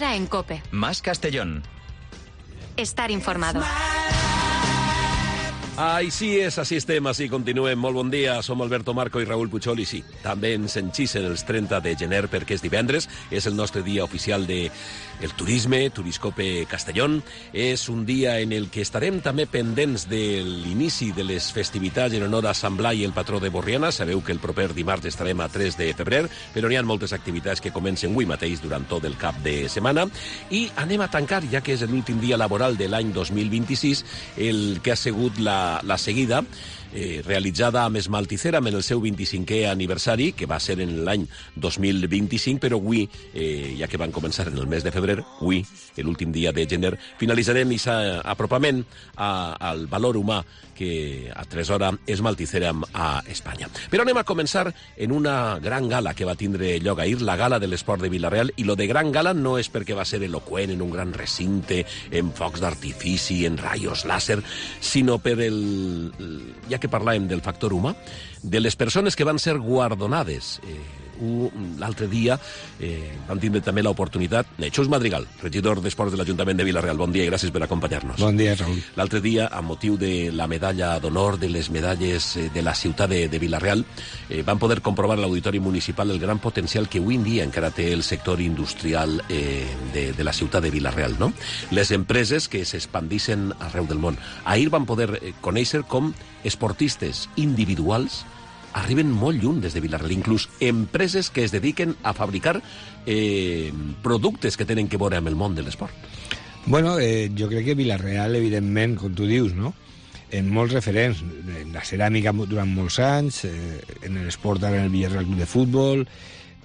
Ahora en COPE. Más Castellón. Estar informado. Així és, així estem, així continuem. Molt bon dia, som Alberto Marco i Raül Puchol i sí, també ens enxisen els 30 de gener perquè és divendres, és el nostre dia oficial de el turisme, Turiscope Castellón. És un dia en el que estarem també pendents de l'inici de les festivitats en honor a Sant Blai, el patró de Borriana. Sabeu que el proper dimarts estarem a 3 de febrer, però n'hi ha moltes activitats que comencen avui mateix durant tot el cap de setmana. I anem a tancar, ja que és l'últim dia laboral de l'any 2026, el que ha sigut la seguida realitzada amb Esmalticera en el seu 25è aniversari, que va ser en l'any 2025, però avui, ja que van començar en el mes de febrer, avui, l'últim dia de gener, finalitzarem aquest apropament al valor humà que atresora Esmalticera a Espanya. Però anem a començar en una gran gala que va tindre lloc ahir, la gala de l'esport de Vila-real, i lo de gran gala no és perquè va ser eloqüent en un gran recinte, en focs d'artifici, en raios làser, sinó per ja que parlàvem del factor humà, de les persones que van ser guardonades. L'altre dia vam tindre també l'oportunitat. Xus Madrigal, regidor d'Esports de l'Ajuntament de Vila-real, bon dia i gràcies per acompanyar-nos. Bon dia, Raül. L'altre dia, amb motiu de la medalla d'honor, de les medalles de la ciutat de Vila-real, vam poder comprovar a l'Auditori Municipal el gran potencial que avui en dia encara té el sector industrial de la ciutat de Vila-real, no? Les empreses que s'expandixen arreu del món. Ahir vam poder conèixer com esportistes individuals arriben molt lluny des de Vila-real, inclús empreses que es dediquen a fabricar productes que tenen que veure amb el món de l'esport. Bueno, jo crec que Vila-real, evidentment, com tu dius, no? En molts referents, en la ceràmica durant molts anys, en l'esport ara en el Villarreal Club de Futbol,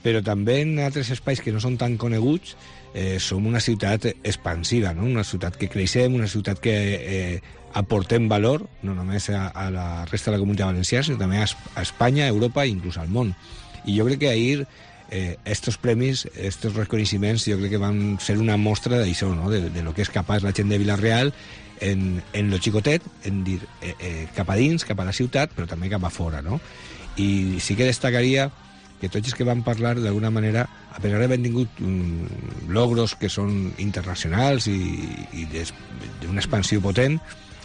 però també en altres espais que no són tan coneguts. Som una ciutat expansiva, no? Una ciutat que creixem, una ciutat que aportem valor, no només a la resta de la Comunitat Valenciana, sinó també a Espanya, a Europa i inclús al món. I jo crec que ahir estos premis, estos reconeixements, jo crec que van ser una mostra d'això, no? De lo que és capaç la gent de Vila-real en lo xicotet, en dir cap a dins, cap a la ciutat, però també cap a fora, no? I sí que destacaria que tots els que van parlar, d'alguna manera, a pesar d'haver tingut logros que són internacionals i d'una expansió potent,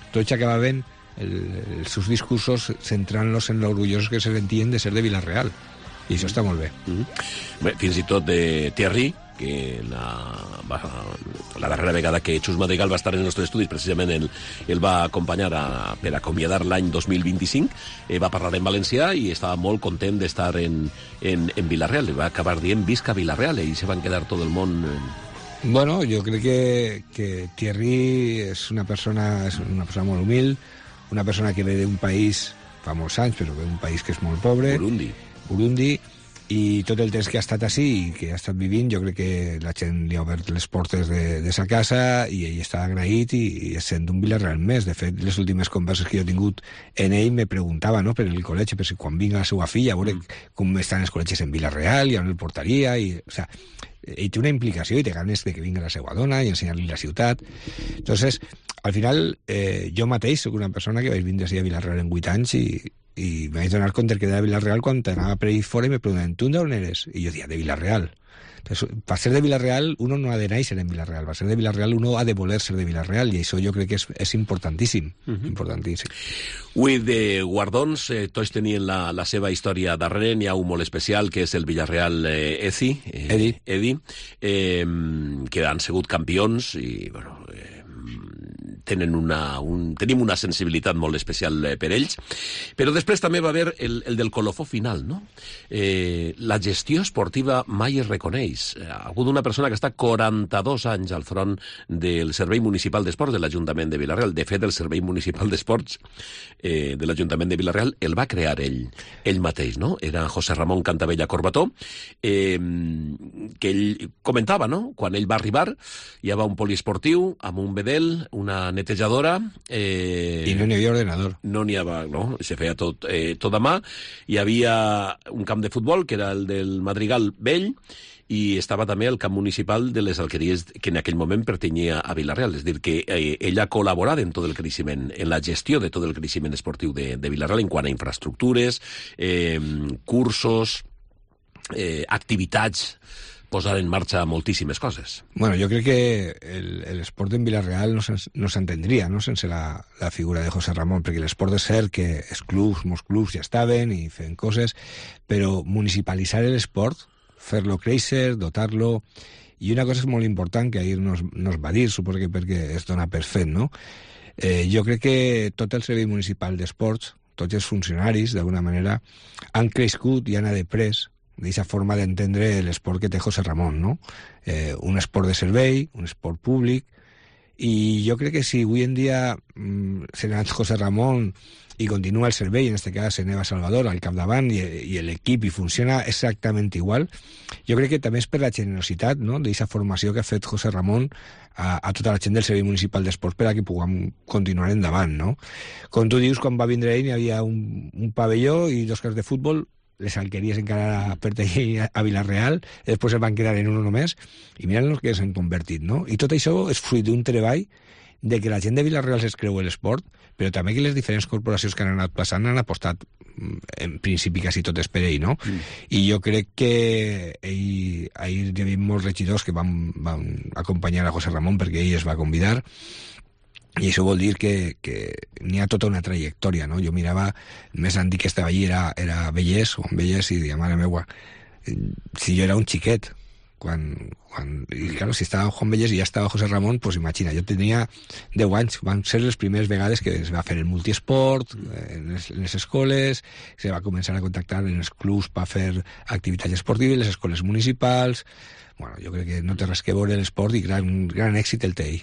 tots acabaven els seus discursos centrant-los en l'orgullosos que se sentien de ser de Vila-real. I això està molt bé. Bé, fins i tot de Thierry, que la darrera vegada que Xus Madrigal va estar en els nostres estudis, precisament el va acompanyar per acomiadar l'any 2025, va parlar en valencià i estava molt content d'estar en Vila-real. Va acabar dient visca Vila-real i se van quedar tot el món... Bueno, jo crec que Thierry és una persona molt humil, una persona que ve d'un país, fa molts anys, però ve d'un país que és molt pobre. Burundi, i tot el temps que ha estat així i que ha estat vivint, jo crec que la gent li ha obert les portes de sa casa i ell està agraït i es sent un Vila-real més. De fet, les últimes converses que jo he tingut en ell me preguntava, no?, per el col·legi, per si quan vinga la seva filla, a veure com estan els col·legis en Vila-real i on el portaria, o sea, ell té una implicació i té ganes de que vinga la seva dona i ensenyar-li la ciutat. Entonces, al final, jo mateix soc una persona que vaig vindre a Vila-real en 8 anys i me vaig donar compte que era de Vila-real quan anava per ahí fora i me preguntaven, ¿tú d'on eres? I jo deia, de Vila-real. Entonces, per ser de Vila-real, uno no ha de néixer en Vila-real. Per ser de Vila-real, uno ha de voler ser de Vila-real, i això jo crec que és importantíssim. Importantíssim. Avui de guardons, tots tenien la seva història darrere. N'hi ha un molt especial, que és el Villarreal Edi, que han sigut campions i, bueno... tenim una sensibilitat molt especial per ells, però després també va haver el del colofó final, no? La gestió esportiva mai es reconeix. Ha hagut una persona que està 42 anys al front del Servei Municipal d'Esports de l'Ajuntament de Vila-real. De fet, el Servei Municipal d'Esports de l'Ajuntament de Vila-real el va crear ell mateix, no? Era José Ramón Cantavella Corbató, que ell comentava, no? Quan ell va arribar, hi havia un poliesportiu amb un bedel, una netejadora... I no n'hi havia ordenador. No n'hi havia, no, se feia tot a mà. Hi havia un camp de futbol, que era el del Madrigal Vell, i estava també el camp municipal de les Alqueries, que en aquell moment pertanyia a Vila-real. És a dir, que ella ha col·laborat en tot el creixement, en la gestió de tot el creixement esportiu de Vila-real, en quant a infraestructures, cursos, activitats posar en marxa moltíssimes coses. Bueno, jo crec que l'esport en Vila-real no s'entendria, no?, sense la figura de José Ramón, perquè l'esport és cert que els clubs, molts clubs ja estaven i feien coses, però municipalitzar l'esport, fer-lo créixer, dotar-lo. I una cosa és molt important que ahir no es va dir, suposo que perquè es dona per fet, no? Jo crec que tot el servei municipal d'esports, tots els funcionaris, d'alguna manera, han crescut i han après d'aquesta forma d'entendre l'esport que té José Ramón, no? Un esport de servei, un esport públic, i jo crec que si avui en dia s'ha anat José Ramón i continua el servei, en aquest cas Neva Salvador al capdavant i l'equip i funciona exactament igual, jo crec que també és per la generositat, no?, d'aquesta formació que ha fet José Ramón a tota la gent del Servei Municipal d'Esports per a que puguem continuar endavant, no? Com tu dius, quan va vindre ell hi havia un pavelló i 2 camps de futbol, les alqueries encara pertanyien a Vila-real, després es van quedar en uno només, i mira el que s'han convertit, no? I tot això és fruit d'un treball de que la gent de Vila-real es creu l'esport, però també que les diferents corporacions que han anat passant han apostat, en principi, quasi totes per ell, no? I jo crec que ahir hi havia molts regidors que van acompanyar a José Ramón perquè ell es va convidar, i això vol dir que n'hi ha tota una trajectòria, no? Jo mirava, més antic que estava allí era Vellès, Juan Vellès, i deia, mare meua, si jo era un xiquet, i claro, si estava Juan Vellès i ja estava José Ramón, pues imagina, jo tenia 10 anys, van ser les primeres vegades que es va fer el multiesport en les escoles, se va començar a contactar en els clubs per fer activitats esportives, les escoles municipals. Bueno, jo crec que no té res que veure l'esport i gran èxit el té ell.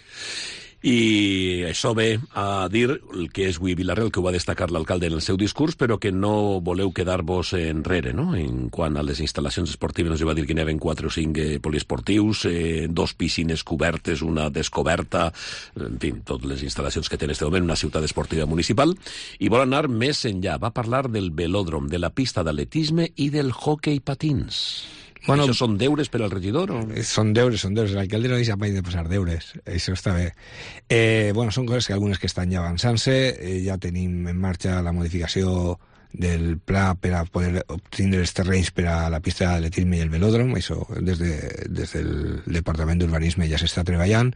I això ve a dir el que és avui Vila-real, que ho va destacar l'alcalde en el seu discurs, però que no voleu quedar-vos enrere, no? En quant a les instal·lacions esportives, ens va dir que n'hi havia 4 o 5 poliesportius, 2 piscines cobertes, una descoberta, en fi, totes les instal·lacions que té en aquest moment una ciutat esportiva municipal, i vol anar més enllà. Va parlar del velòdrom, de la pista d'atletisme i del hoquei patins. Bueno, això són deures per al regidor? O? Són deures. L'alcalde no deixa mai de posar deures. Això està bé. Bueno, són coses que algunes que estan ja avançant-se. Ja tenim en marxa la modificació del pla per a poder obtindre els terrenys per a la pista d'atletisme i el velòdrom. Això des del Departament d'Urbanisme ja s'està treballant.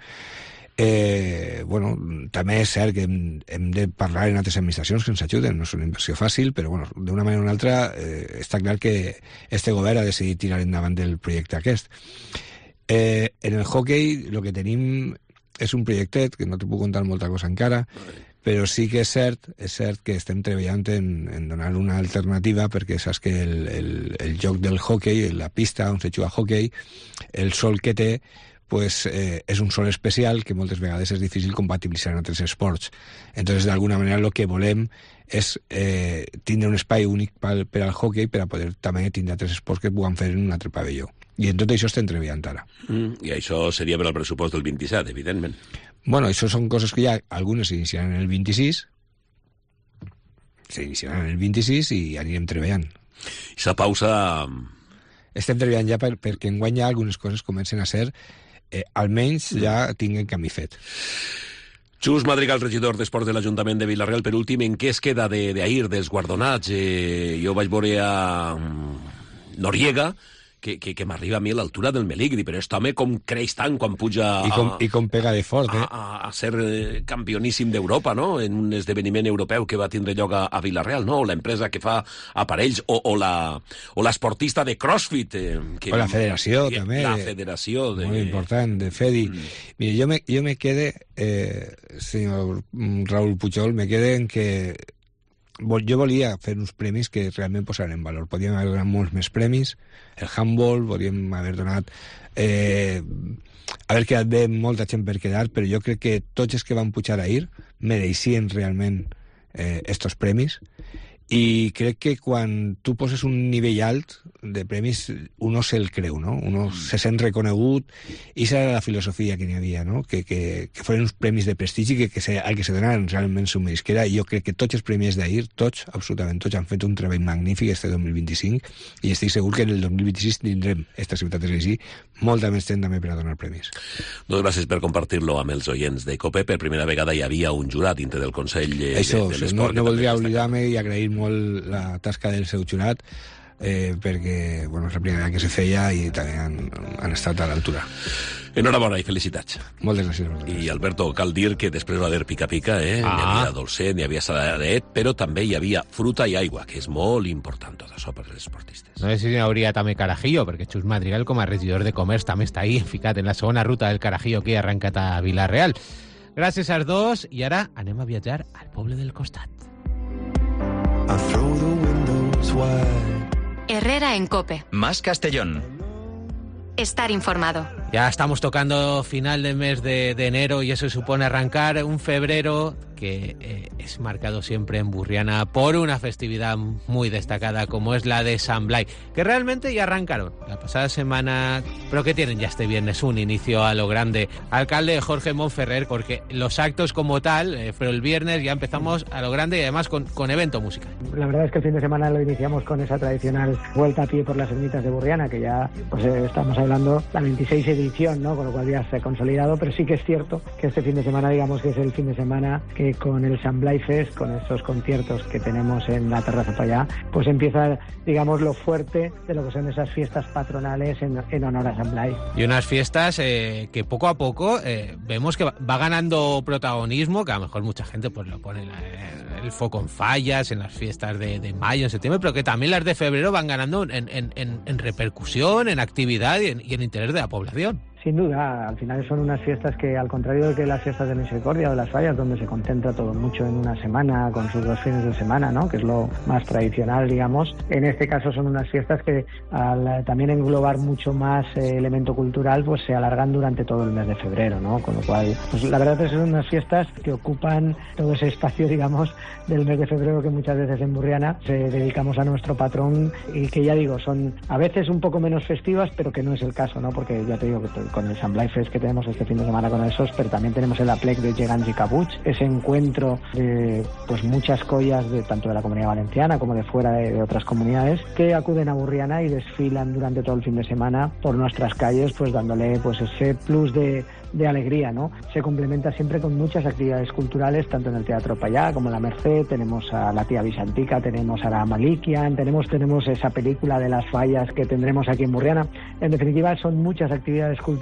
Bueno, també és cert que hem de parlar en altres administracions que ens ajuden, no és una inversió fàcil, però bueno, d'una manera o una altra està clar que este govern ha decidit tirar endavant el projecte aquest. En el hockey el que tenim és un projectet, que no te puc contar molta cosa encara, però sí que és cert que estem treballant en donar una alternativa, perquè saps que el joc del hockey, la pista on se juga hockey, el sol que té, pues és un sol especial que moltes vegades és difícil compatibilitzar en altres esports. Entonces, d'alguna manera, el que volem és tindre un espai únic per al hockey per a poder també tindre altres esports que puguem fer en un altre pavelló. I en tot això estem treballant ara. I això seria per al pressupost del 27, evidentment. Bueno, això són coses que ja algunes s'iniciaran en el 26, i anirem treballant. I la pausa... Estem treballant ja perquè enguany ja algunes coses comencen a ser almenys ja tinguen camí fet. Xus Madrigal, regidor d'Esports de l'Ajuntament de Vila-real, per últim, en què es queda d'ahir, dels guardonats? Jo vaig veure a Noriega, que m'arriba a mi a l'altura del Meligri, però aquest home com creix tant quan puja I com pega de fort, a ser campioníssim d'Europa, no?, en un esdeveniment europeu que va tindre lloc a Vila-real, no?, o l'empresa que fa aparells, o l'esportista de CrossFit. O la federació, també. La federació. Molt important, de FEDI. Mira, jo me quede, senyor Raúl Pujol, me quede en que jo volia fer uns premis que realment posaran en valor. Podríem haver donat molts més premis, el handball, podríem haver donat haver quedat bé molta gent per quedar, però jo crec que tots els que van pujar ahir mereixien realment estos premis, i crec que quan tu poses un nivell alt de premis, uno se'l creu, no? Uno se sent reconegut, i esa era la filosofia que n'hi havia, no? Que foren uns premis de prestigi que al que se donaran realment s'ho meresquera, i jo crec que tots els premis d'ahir, tots, absolutament tots, han fet un treball magnífic este 2025, i estic segur que en el 2026 tindrem esta ciutat de Reisí molta més gent també per a donar premis. Doncs gràcies per compartir-lo amb els oients de COPE. Per primera vegada hi havia un jurat dintre del Consell de l'Esport. No voldria oblidar-me i agrair molt la tasca del seu jurat, perquè bueno, és la primera que se feia i també han estat a l'altura. Enhorabona i felicitats. Moltes gràcies. I Alberto, cal dir que després va haver pica-pica, N'hi havia dolcet, n'hi havia saladet, però també hi havia fruta i aigua, que és molt important tot això per als esportistes. No sé si n'hi hauria també carajillo, perquè Xus Madrigal, com a regidor de comerç, també està ahí, ficat en la segona ruta del carajillo que ha arrencat a Vila-real. Gràcies als dos, i ara anem a viatjar al poble del costat. Herrera en COPE. Más Castellón. Estar informado. Ya estamos tocando final del mes de enero y eso supone arrancar un febrero que es marcado siempre en Burriana por una festividad muy destacada como es la de San Blai, que realmente ya arrancaron la pasada semana, pero que tienen ya este viernes un inicio a lo grande. Alcalde Jorge Monferrer, porque los actos como tal, pero el viernes ya empezamos a lo grande y además con evento musical. La verdad es que el fin de semana lo iniciamos con esa tradicional vuelta a pie por las ermitas de Burriana, que ya pues estamos hablando la 26 edición, ¿no? Con lo cual ya se ha consolidado, pero sí que es cierto que este fin de semana, digamos que es el fin de semana que con el San Blai Fest, con estos conciertos que tenemos en la terraza para allá, pues empieza, digamos, lo fuerte de lo que son esas fiestas patronales en honor a San Blai. Y unas fiestas que poco a poco vemos que va ganando protagonismo, que a lo mejor mucha gente pues lo pone el foco en fallas, en las fiestas de mayo, en septiembre, pero que también las de febrero van ganando en repercusión, en actividad y en interés de la población. Sin duda, al final son unas fiestas que, al contrario de que las fiestas de Misericordia o de las fallas, donde se concentra todo mucho en una semana, con sus 2 fines de semana, ¿no? Que es lo más tradicional, digamos. En este caso son unas fiestas que, al también englobar mucho más elemento cultural, pues se alargan durante todo el mes de febrero, ¿no? Con lo cual, pues la verdad es que son unas fiestas que ocupan todo ese espacio, digamos, del mes de febrero que muchas veces en Burriana se dedicamos a nuestro patrón y que, ya digo, son a veces un poco menos festivas, pero que no es el caso, ¿no? Porque ya te digo que con el San Blai Fest que tenemos este fin de semana con esos, pero también tenemos el aplec de Gegants y Cabuts, ese encuentro de pues muchas collas de tanto de la Comunidad Valenciana como de fuera de otras comunidades que acuden a Burriana y desfilan durante todo el fin de semana por nuestras calles, pues dándole pues ese plus de alegría, ¿no? Se complementa siempre con muchas actividades culturales, tanto en el Teatro Payá como en la Merced, tenemos a la Tía Visantica, tenemos a la Malikian, tenemos esa película de las fallas que tendremos aquí en Burriana. En definitiva, son muchas actividades culturales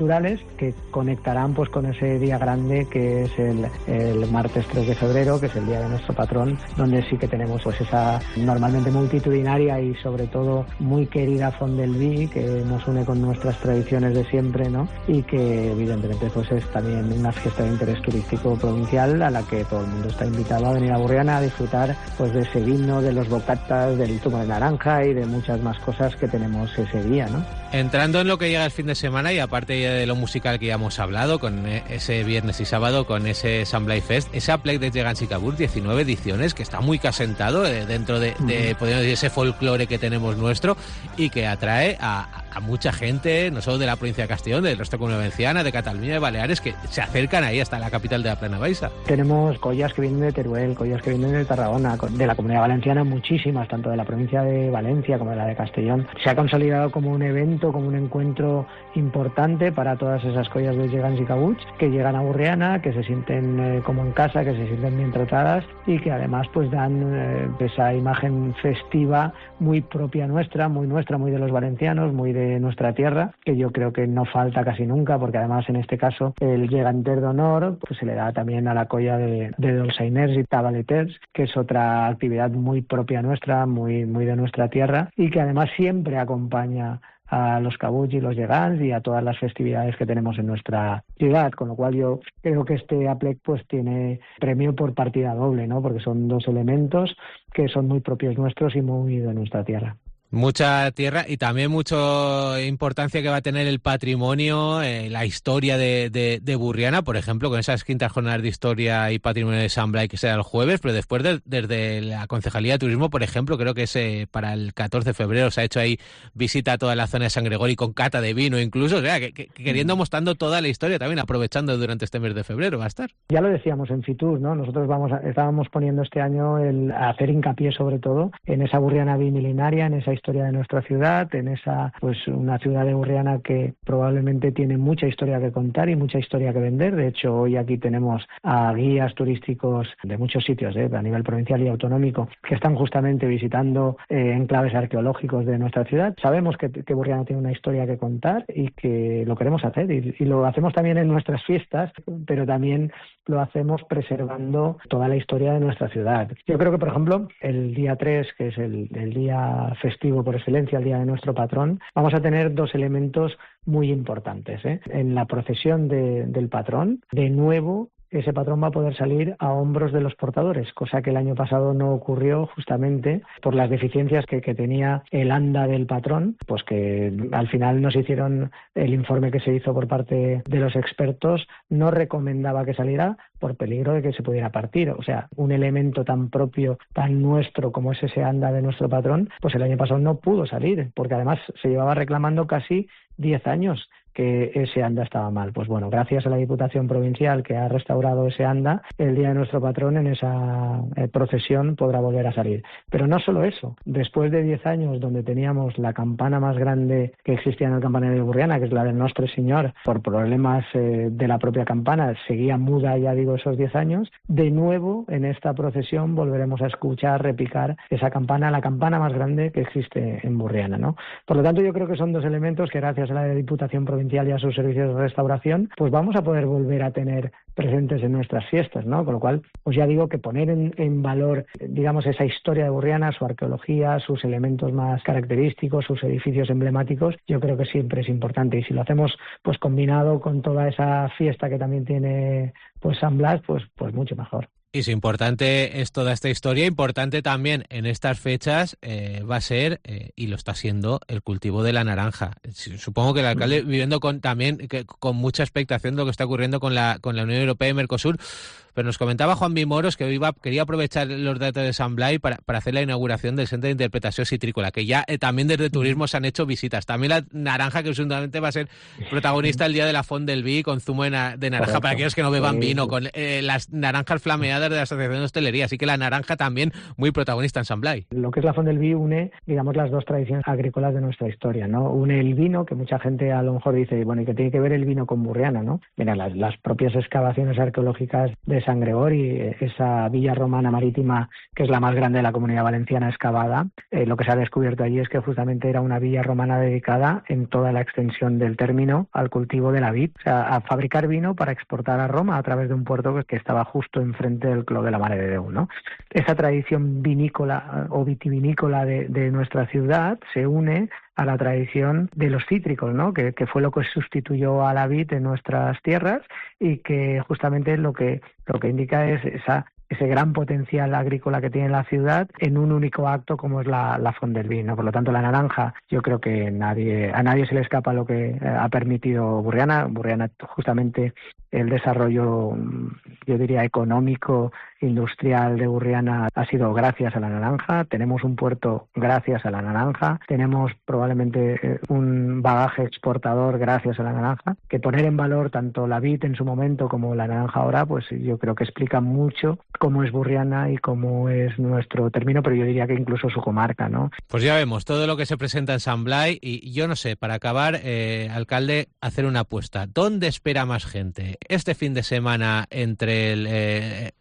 que conectarán pues con ese día grande que es el martes 3 de febrero, que es el día de nuestro patrón, donde sí que tenemos pues esa normalmente multitudinaria y sobre todo muy querida Font del Vi, que nos une con nuestras tradiciones de siempre, ¿no? Y que evidentemente pues es también una fiesta de interés turístico provincial a la que todo el mundo está invitado a venir a Burriana a disfrutar pues de ese vino, de los bocatas, del zumo de naranja y de muchas más cosas que tenemos ese día, ¿no? Entrando en lo que llega el fin de semana y aparte de lo musical que ya hemos hablado, con ese viernes y sábado, con ese San Blai Fest, ese aplec de Gegants y Cabuts, 19 ediciones, que está muy casentado dentro de podemos decir, ese folclore que tenemos nuestro y que atrae a mucha gente, no solo de la provincia de Castellón, del resto de Comunidad Valenciana, de Cataluña, de Baleares, que se acercan ahí hasta la capital de la Plana Baixa. Tenemos collas que vienen de Teruel, collas que vienen de Tarragona, de la Comunidad Valenciana muchísimas, tanto de la provincia de Valencia como de la de Castellón. Se ha consolidado como un evento, como un encuentro importante para todas esas collas de Gegants y Cabuts que llegan a Burriana, que se sienten como en casa, que se sienten bien tratadas y que además pues dan esa imagen festiva muy propia nuestra, muy de los valencianos, muy de nuestra tierra, que yo creo que no falta casi nunca, porque además en este caso el Geganter d'Honor pues se le da también a la colla de dolçainers y tabaleters, que es otra actividad muy propia nuestra, muy de nuestra tierra y que además siempre acompaña a los Cabuts y los Gegants y a todas las festividades que tenemos en nuestra ciudad, con lo cual yo creo que este aplec pues tiene premio por partida doble, ¿no? Porque son 2 elementos que son muy propios nuestros y muy de nuestra tierra. Mucha tierra y también mucha importancia que va a tener el patrimonio, la historia de Burriana, por ejemplo, con esas quintas jornadas de historia y patrimonio de San Blai que será el jueves, pero después desde la Concejalía de Turismo, por ejemplo, creo que es para el 14 de febrero, se ha hecho ahí visita a toda la zona de San Gregorio con cata de vino incluso, o sea, que queriendo mostrando toda la historia también, aprovechando durante este mes de febrero va a estar. Ya lo decíamos en Fitur, ¿no? Nosotros estábamos poniendo este año a hacer hincapié sobre todo en esa Burriana bimilenaria, en esa historia de nuestra ciudad, en esa, pues una ciudad de Burriana que probablemente tiene mucha historia que contar y mucha historia que vender. De hecho, hoy aquí tenemos a guías turísticos de muchos sitios, a nivel provincial y autonómico, que están justamente visitando enclaves arqueológicos de nuestra ciudad. Sabemos que Burriana tiene una historia que contar y que lo queremos hacer y lo hacemos también en nuestras fiestas, pero también lo hacemos preservando toda la historia de nuestra ciudad. Yo creo que, por ejemplo, el día 3, que es el día festivo por excelencia, el día de nuestro patrón, vamos a tener dos elementos muy importantes. En la procesión del patrón, de nuevo, ese patrón va a poder salir a hombros de los portadores, cosa que el año pasado no ocurrió justamente por las deficiencias que tenía el anda del patrón, pues que al final nos hicieron el informe que se hizo por parte de los expertos, no recomendaba que saliera por peligro de que se pudiera partir. O sea, un elemento tan propio, tan nuestro como es ese anda de nuestro patrón, pues el año pasado no pudo salir, porque además se llevaba reclamando casi 10 años que ese anda estaba mal. Pues bueno, gracias a la Diputación Provincial que ha restaurado ese anda, el día de nuestro patrón en esa procesión podrá volver a salir. Pero no solo eso, después de 10 años donde teníamos la campana más grande que existía en el campanario de Burriana, que es la del Nostre Señor, por problemas de la propia campana, seguía muda, ya digo, esos 10 años, de nuevo en esta procesión volveremos a escuchar repicar esa campana, la campana más grande que existe en Burriana, ¿no? Por lo tanto, yo creo que son dos elementos que gracias a la Diputación Provincial y a sus servicios de restauración, pues vamos a poder volver a tener presentes en nuestras fiestas, ¿no? Con lo cual, pues ya digo que poner en valor, digamos, esa historia de Burriana, su arqueología, sus elementos más característicos, sus edificios emblemáticos, yo creo que siempre es importante. Y si lo hacemos, pues combinado con toda esa fiesta que también tiene, pues San Blas, pues mucho mejor. Y si importante es toda esta historia, importante también en estas fechas va a ser, y lo está siendo, el cultivo de la naranja. Supongo que el alcalde viviendo con mucha expectación de lo que está ocurriendo con la Unión Europea y Mercosur. Pero nos comentaba Juan Moros que quería aprovechar los datos de San Blai para hacer la inauguración del Centro de Interpretación Citrícola, que ya también desde turismo se han hecho visitas. También la naranja, que seguramente va a ser protagonista el día de la Font del Vi, con zumo de naranja. Correcto. Para aquellos que no beban vino, con las naranjas flameadas de la Asociación de Hostelería. Así que la naranja también muy protagonista en San Blai. Lo que es la Font del Vi une, digamos, las dos tradiciones agrícolas de nuestra historia, ¿no? Une el vino, que mucha gente a lo mejor dice, bueno, ¿y qué tiene que ver el vino con Burriana, no? Mira, las propias excavaciones arqueológicas de San Gregori, esa villa romana marítima que es la más grande de la Comunidad Valenciana excavada, lo que se ha descubierto allí es que justamente era una villa romana dedicada en toda la extensión del término al cultivo de la vid, o sea, a fabricar vino para exportar a Roma a través de un puerto que estaba justo enfrente del Clos de la Mare de Déu, ¿no? Esa tradición vinícola o vitivinícola de nuestra ciudad se une a la tradición de los cítricos, ¿no? Que fue lo que sustituyó a la vid en nuestras tierras y que justamente lo que indica es ese gran potencial agrícola que tiene la ciudad en un único acto como es la Font del Vi, ¿no? Por lo tanto, la naranja, yo creo que a nadie se le escapa lo que ha permitido Burriana. Burriana, justamente el desarrollo, yo diría, económico, industrial de Burriana ha sido gracias a la naranja. Tenemos un puerto gracias a la naranja. Tenemos probablemente un bagaje exportador gracias a la naranja. Que poner en valor tanto la vid en su momento como la naranja ahora, pues yo creo que explica mucho cómo es Burriana y cómo es nuestro término, pero yo diría que incluso su comarca, ¿no? Pues ya vemos todo lo que se presenta en San Blai y yo no sé, para acabar, alcalde, hacer una apuesta. ¿Dónde espera más gente? Este fin de semana entre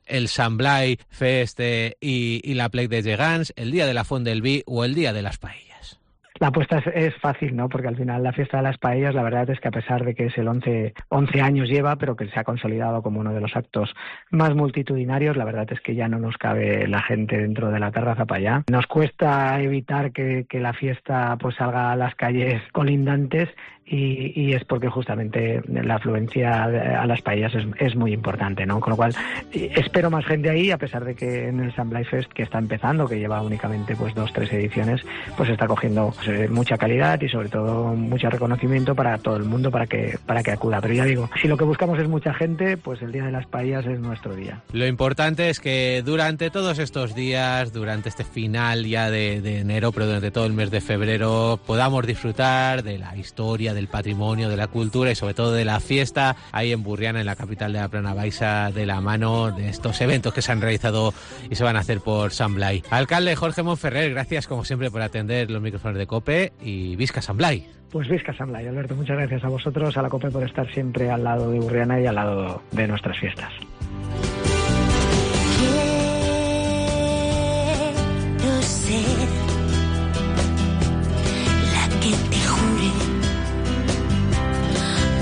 el San Blai Fest y la Plec de Gegants, el día de la Font del Vi o el día de las paellas. La apuesta es fácil, ¿no? Porque al final la fiesta de las paellas, la verdad es que a pesar de que es el 11 años lleva, pero que se ha consolidado como uno de los actos más multitudinarios, la verdad es que ya no nos cabe la gente dentro de la terraza para allá. Nos cuesta evitar que la fiesta pues salga a las calles colindantes y es porque justamente la afluencia a las paellas es muy importante, ¿no? Con lo cual espero más gente ahí, a pesar de que en el San Blai Fest, que está empezando, que lleva únicamente pues 2-3 ediciones, pues está cogiendo mucha calidad y sobre todo mucho reconocimiento para todo el mundo para que acuda. Pero ya digo, si lo que buscamos es mucha gente, pues el Día de las Paellas es nuestro día. Lo importante es que durante todos estos días, durante este final ya de enero, pero durante todo el mes de febrero, podamos disfrutar de la historia, del patrimonio, de la cultura y sobre todo de la fiesta ahí en Burriana, en la capital de la Plana Baixa, de la mano de estos eventos que se han realizado y se van a hacer por Sant Blai. Alcalde Jorge Montferrer, gracias como siempre por atender los micrófonos de COPE y visca Sant Blai. Pues visca Sant Blai, Alberto, muchas gracias a vosotros, a la COPE por estar siempre al lado de Burriana y al lado de nuestras fiestas. Quiero ser la que te jure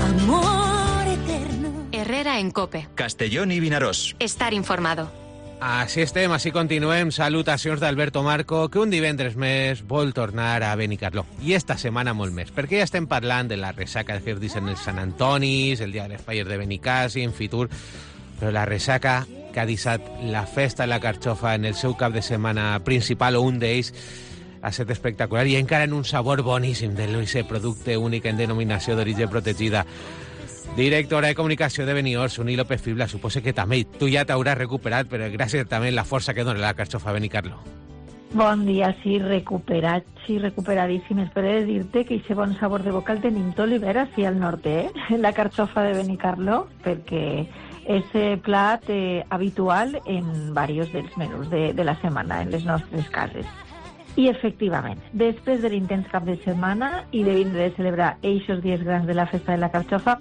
amor eterno. Herrera en COPE. Castellón i Vinaròs. Estar informado. Així estem, així continuem. Salutacions d'Alberto Marco, que un divendres més vol tornar a Benicarló. I esta setmana molt més, perquè ja estem parlant de la ressaca de Hirdis en els Sant Antonis, el dia de les falles de Benicàssim, en Fitur, però la ressaca que ha deixat la festa de la Carxofa en el seu cap de setmana principal, o un d'ells, ha estat espectacular i encara en un sabor boníssim de l'OIC, producte únic en denominació d'origen protegida. Directora de comunicació de Beniors, Uni López Fibla, suposo que també tu ja t'hauràs recuperat, però gràcies també a la força que dona la Carxofa a Benicarló. Bon dia, sí, recuperat, sí, recuperadíssim. Espero dir-te que aquest bon sabor de boca el tenim tot l'hivern així al nord, la Carxofa de Benicarló, perquè és plat habitual en diversos dels menús de la setmana en les nostres cases. I, efectivament, després de l'intens cap de setmana i de vindre de celebrar eixos dies grans de la festa de la Carxofa,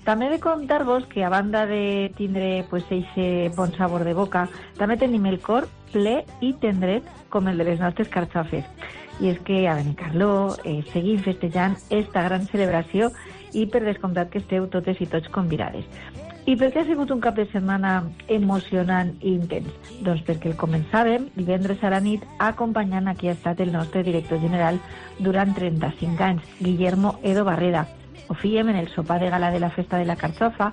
també he de contar-vos que, a banda de tindre aquest bon sabor de boca, també tenim el cor ple i tendret com el de les nostres carxofes. I és que a Benicarló seguim festejant esta gran celebració i per descomptat que esteu totes i tots convidades. I per què ha sigut un cap de setmana emocionant i intens? Doncs perquè el començàvem divendres a la nit acompanyant a qui ha estat el nostre director general durant 35 anys, Guillermo Edo Barreda. Ho fèiem en el sopar de gala de la festa de la Carxofa,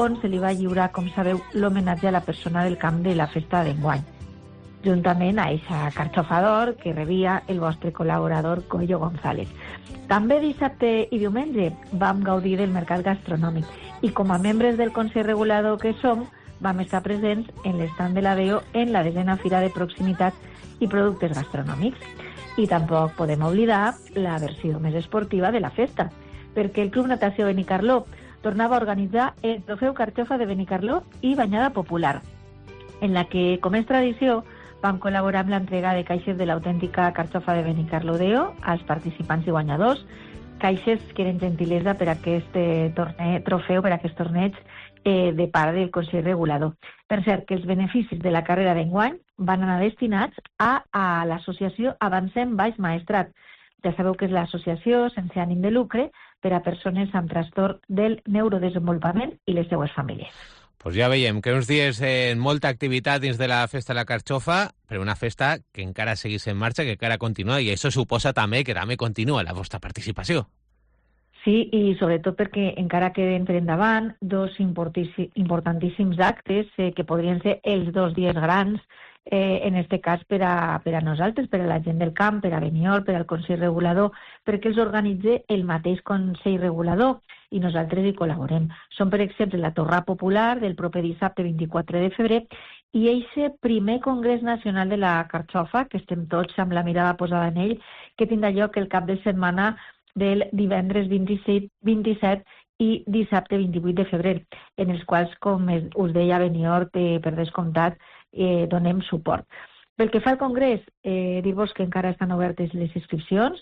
on se li va lliurar, com sabeu, l'homenatge a la persona del camp de la festa d'enguany, juntament a eixa Carxofa d'or que rebia el vostre col·laborador Coello González. També dissabte i diumenge vam gaudir del mercat gastronòmic i com a membres del Consell Regulador que som, vam estar presents en l'estand de la DEO en la 10a Fira de Proximitat i Productes Gastronòmics. I tampoc podem oblidar la versió més esportiva de la festa, perquè el Club Natació Benicarló tornava a organitzar el Trofeu Carxofa de Benicarló i Banyada Popular, en la que, com és tradició, vam col·laborar amb l'entrega de caixes de l'autèntica Carxofa de Benicarló DEO als participants i guanyadors, caixes que eren gentilesa per a aquest trofeu, per a aquest torneig de part del Consell Regulador. Per cert, que els beneficis de la carrera d'enguany van anar destinats a l'associació Avancem Baix Maestrat. Ja sabeu que és l'associació sense ànim de lucre per a persones amb trastorn del neurodesenvolupament i les seues famílies. Pues ja veiem que uns dies en molta activitat dins de la festa de la Carxofa, però una festa que encara seguís en marxa, que encara continua, i això suposa també que també continua la vostra participació. Sí, i sobretot perquè encara queden per endavant dos importantíssims actes que podrien ser els 2 dies grans, en este cas per a nosaltres, per a la gent del camp, per a Benior, per al Consell Regulador, perquè els organitza el mateix Consell Regulador i nosaltres hi col·laborem. Són, per exemple, la Torrà Popular del proper dissabte 24 de febrer i aquest primer Congrés Nacional de la Carxofa, que estem tots amb la mirada posada en ell, que tindrà lloc el cap de setmana del divendres 27 i dissabte 28 de febrer, en els quals, com us deia Benior, per descomptat, donem suport. Pel que fa al Congrés, dir-vos que encara estan obertes les inscripcions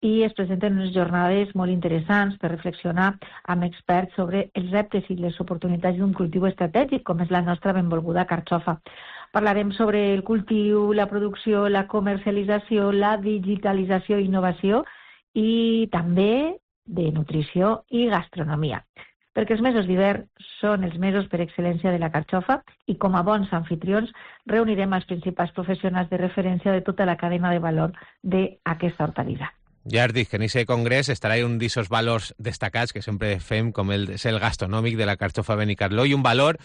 i es presenten unes jornades molt interessants per reflexionar amb experts sobre els reptes i les oportunitats d'un cultiu estratègic, com és la nostra benvolguda carxofa. Parlarem sobre el cultiu, la producció, la comercialització, la digitalització i innovació i també de nutrició i gastronomia. Perquè els mesos d'hivern són els mesos per excel·lència de la carxofa i com a bons anfitrions reunirem els principals professionals de referència de tota la cadena de valor d'aquesta hortalissa. Ja has dit que en aquest congrés estarà un d'aquests valors destacats que sempre fem, com és el gastronòmic de la carxofa Benicarló, i un valor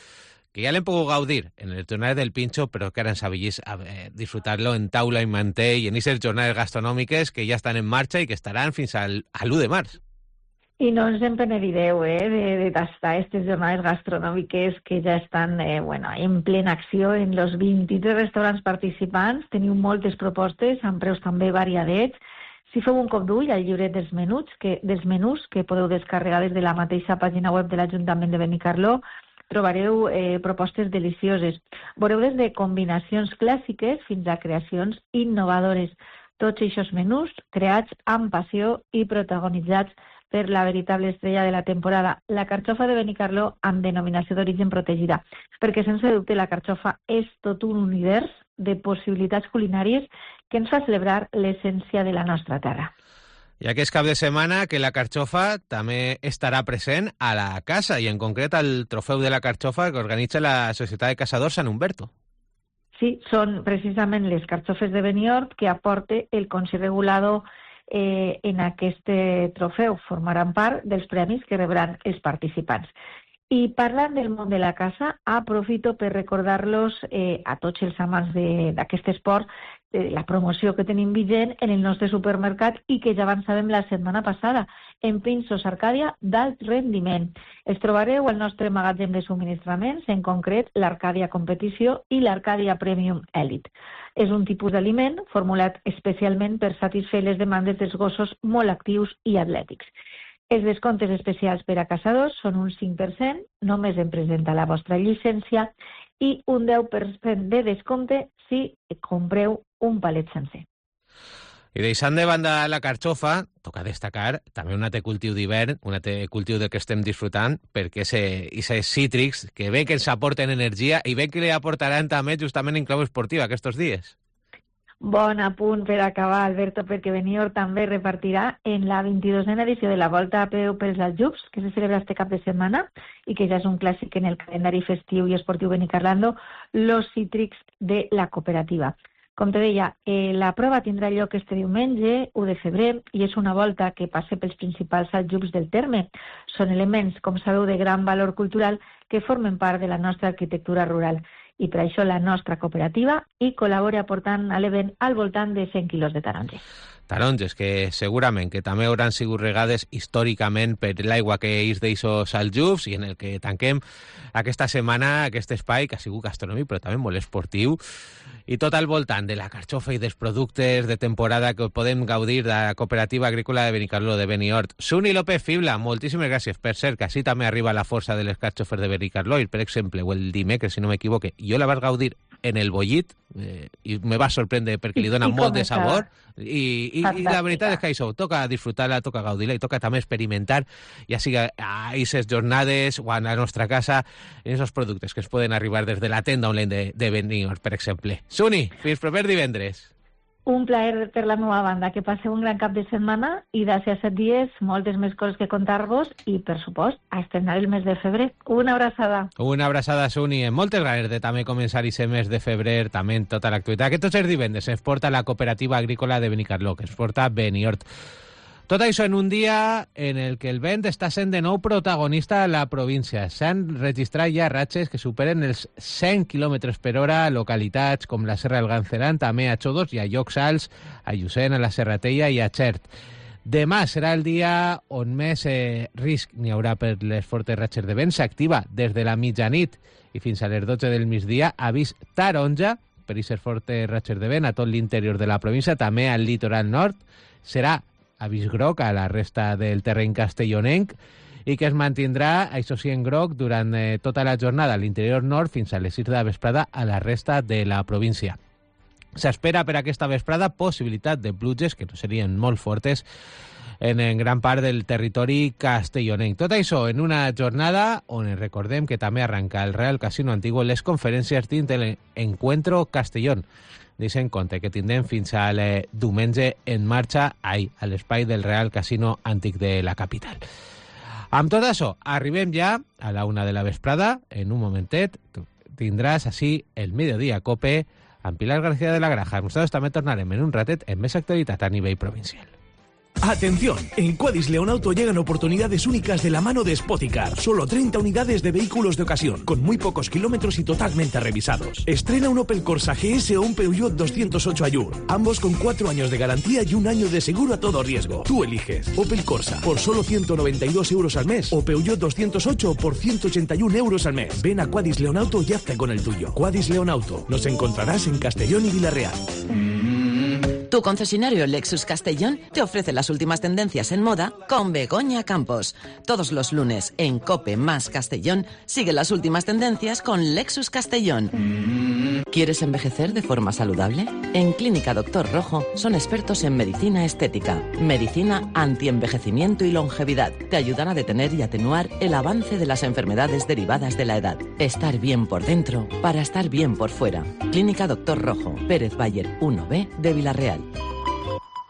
que ya le puedo gaudir en el Jornades del Pincho, però que ara ens avellís a disfrutar-lo en taula i mantell i en aquestes jornades gastronòmiques que ja estan en marxa i que estaran fins al 1 de març. I no ens en penedireu de tastar aquestes jornades gastronòmiques que ja estan en plena acció en els 23 restaurants participants. Teniu moltes propostes amb preus també variadets. Si feu un cop d'ull al llibret dels menús que podeu descarregar des de la mateixa pàgina web de l'Ajuntament de Benicarló, trobareu propostes delicioses. Veureu des de combinacions clàssiques fins a creacions innovadores. Tots aquests menús creats amb passió i protagonitzats per la veritable estrella de la temporada, la carxofa de Benicarló amb denominació d'origen protegida, perquè sense dubte la carxofa és tot un univers de possibilitats culinàries que ens fa celebrar l'essència de la nostra terra. I aquest cap de setmana que la carxofa també estarà present a la casa i en concret al trofeu de la carxofa que organitza la Societat de Caçadors Sant Humberto. Sí, són precisament les carxofes de Beniort que aporta el Consell Regulador en aquest trofeu. Formaran part dels premis que rebran els participants. I parlant del món de la caça, aprofito per recordar-los a tots els amants d'aquest esport la promoció que tenim vigent en el nostre supermercat i que ja avançàvem la setmana passada, en pinços Arcàdia d'alt rendiment. Els trobareu al nostre magatzem de subministraments, en concret l'Arcàdia Competició i l'Arcàdia Premium Elite. És un tipus d'aliment formulat especialment per satisfer les demandes dels gossos molt actius i atlètics. Els descomptes especials per a caçadors són un 5%, només en presenta la vostra llicència, i un 10% de descompte si compreu un palet sencer. I deixant de banda la carxofa, toca destacar també un altre cultiu d'hivern, un altre cultiu del que estem disfrutant, perquè aquests cítrics que bé que ens aporten energia i bé que li aportaran també justament en clau esportiva aquests dies. Bon apunt per acabar, Alberto, perquè Beniort també repartirà en la 22a edició de la Volta a peu pels Aljubs, que se celebra este cap de setmana i que ja és un clàssic en el calendari festiu i esportiu benicarlando, los cítrics de la cooperativa. Com te deia, la prova tindrà lloc este diumenge, 1 de febrer, i és una volta que passa pels principals aljubs del terme. Són elements, com sabeu, de gran valor cultural que formen part de la nostra arquitectura rural. I per això la nostra cooperativa hi col·labora aportant a l'event al voltant de 100 quilos de taronges. Taronges que segurament que també hauran sigut regades històricament per l'aigua que és d'eixos aljubs i en el que tanquem aquesta setmana aquest espai que ha sigut gastronòmic però també molt esportiu i tot al voltant de la carxofa i dels productes de temporada que podem gaudir de la Cooperativa Agrícola de Benicarló de Beniort. Suni López Fibla, moltíssimes gràcies. Per cert, que així també arriba la força de les carxofes de Benicarló i, per exemple, o el dimecres, si no m'equivoque, jo la vaig gaudir en el bollit i me va sorprendre perquè li dona molt de sabor i la veritat és que això toca disfrutar-la, toca gaudir-la i toca també experimentar, ja sigui a aquestes jornades o a la nostra casa, en aquests productes que es poden arribar des de la tenda online de Beniort, per exemple. Suni, fins proper divendres. Un plaer per la meva banda, que passeu un gran cap de setmana i d'ací a 7 dies moltes més coses que contar-vos i, per supost, a estrenar el mes de febrer. Una abraçada. Una abraçada, Suni. Moltes ganes de també començar aquest mes de febrer, també en tota l'actualitat. Que tots els divendres ens porta la Cooperativa Agrícola de Benicarló, que ens porta Beniort. Tot això en un dia en el que el vent està sent de nou protagonista a la província. S'han registrat ja ratxes que superen els 100 km per hora a localitats com la Serra del Ganceran, també a Xodos i a llocs alts, a Llucent, a la Serratella i a Xert. Demà serà el dia on més risc n'hi haurà per les fortes ratxes de vent. S'activa des de la mitjanit i fins a les 12 del migdia avís taronja per aquestes fortes ratxes de vent a tot l'interior de la província, també al litoral nord. Serà avís groc a la resta del terreny castellonenc i que es mantindrà, això sí, en groc durant tota la jornada a l'interior nord fins a les 6 de la vesprada a la resta de la província. S'espera per aquesta vesprada possibilitat de pluges que no serien molt fortes en gran part del territori castellonenc. Tot això en una jornada on recordem que també arranca el Real Casino Antiguo les conferències dins de l'Encuentro Castellón. Deixen compte que tindrem fins al diumenge en marxa a l'espai del Real Casino Antic de la capital. Amb tot això, arribem ja a la 1 de la vesprada. En un momentet tindràs així el Mediodía Cope amb Pilar García de la Granja. Nosaltres també tornarem en un ratet amb més actualitat a nivell provincial. Atención, en Quadis Leonauto llegan oportunidades únicas de la mano de Spoticar. Solo 30 unidades de vehículos de ocasión, con muy pocos kilómetros y totalmente revisados. Estrena un Opel Corsa GS o un Peugeot 208 Allure, ambos con 4 años de garantía y 1 año de seguro a todo riesgo. Tú eliges Opel Corsa por solo 192 euros al mes o Peugeot 208 por 181 euros al mes. Ven a Quadis Leonauto y hazte con el tuyo. Quadis Leonauto. Nos encontrarás en Castellón y Villarreal. Tu concesionario Lexus Castellón te ofrece las últimas tendencias en moda con Begoña Campos. Todos los lunes en COPE más Castellón sigue las últimas tendencias con Lexus Castellón. ¿Quieres envejecer de forma saludable? En Clínica Doctor Rojo son expertos en medicina estética, medicina antienvejecimiento y longevidad. Te ayudan a detener y atenuar el avance de las enfermedades derivadas de la edad. Estar bien por dentro para estar bien por fuera. Clínica Doctor Rojo, Pérez Bayer 1B de Villarreal.